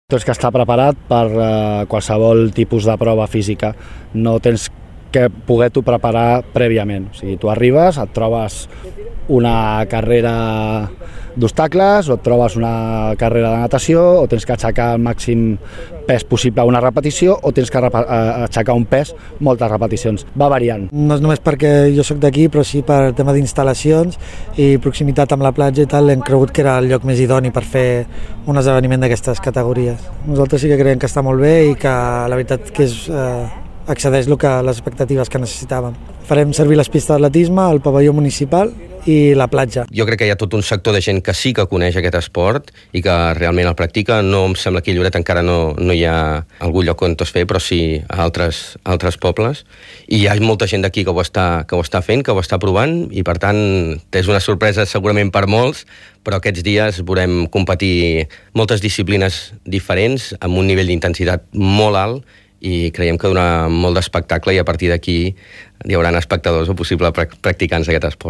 Tens que estar preparat per qualsevol tipus de prova física. No tens que poder-t'ho preparar prèviament. O sigui, tu arribes, et trobes una carrera d'obstacles o et trobes una carrera de natació o tens que aixecar el màxim pes possible a una repetició o tens que aixecar un pes moltes repeticions. Va variant. No és només perquè jo sóc d'aquí, però sí per tema d'instal·lacions i proximitat amb la platja i tal, hem cregut que era el lloc més idoni per fer un esdeveniment d'aquestes categories. Nosaltres sí que creiem que està molt bé i que la veritat que excedeix les expectatives que necessitàvem. Farem servir les pistes d'atletisme, el pavelló municipal i la platja. Jo crec que hi ha tot un sector de gent que sí que coneix aquest esport i que realment el practica. No em sembla que a Lloret encara no hi ha algun lloc on es fer, però sí a altres pobles. I hi ha molta gent d'aquí que ho està fent, que ho està provant, i per tant és una sorpresa segurament per molts, però aquests dies veurem competir moltes disciplines diferents amb un nivell d'intensitat molt alt i creiem que donarà molt d'espectacle i a partir d'aquí hi haurà espectadors o possibles practicants d'aquest esport.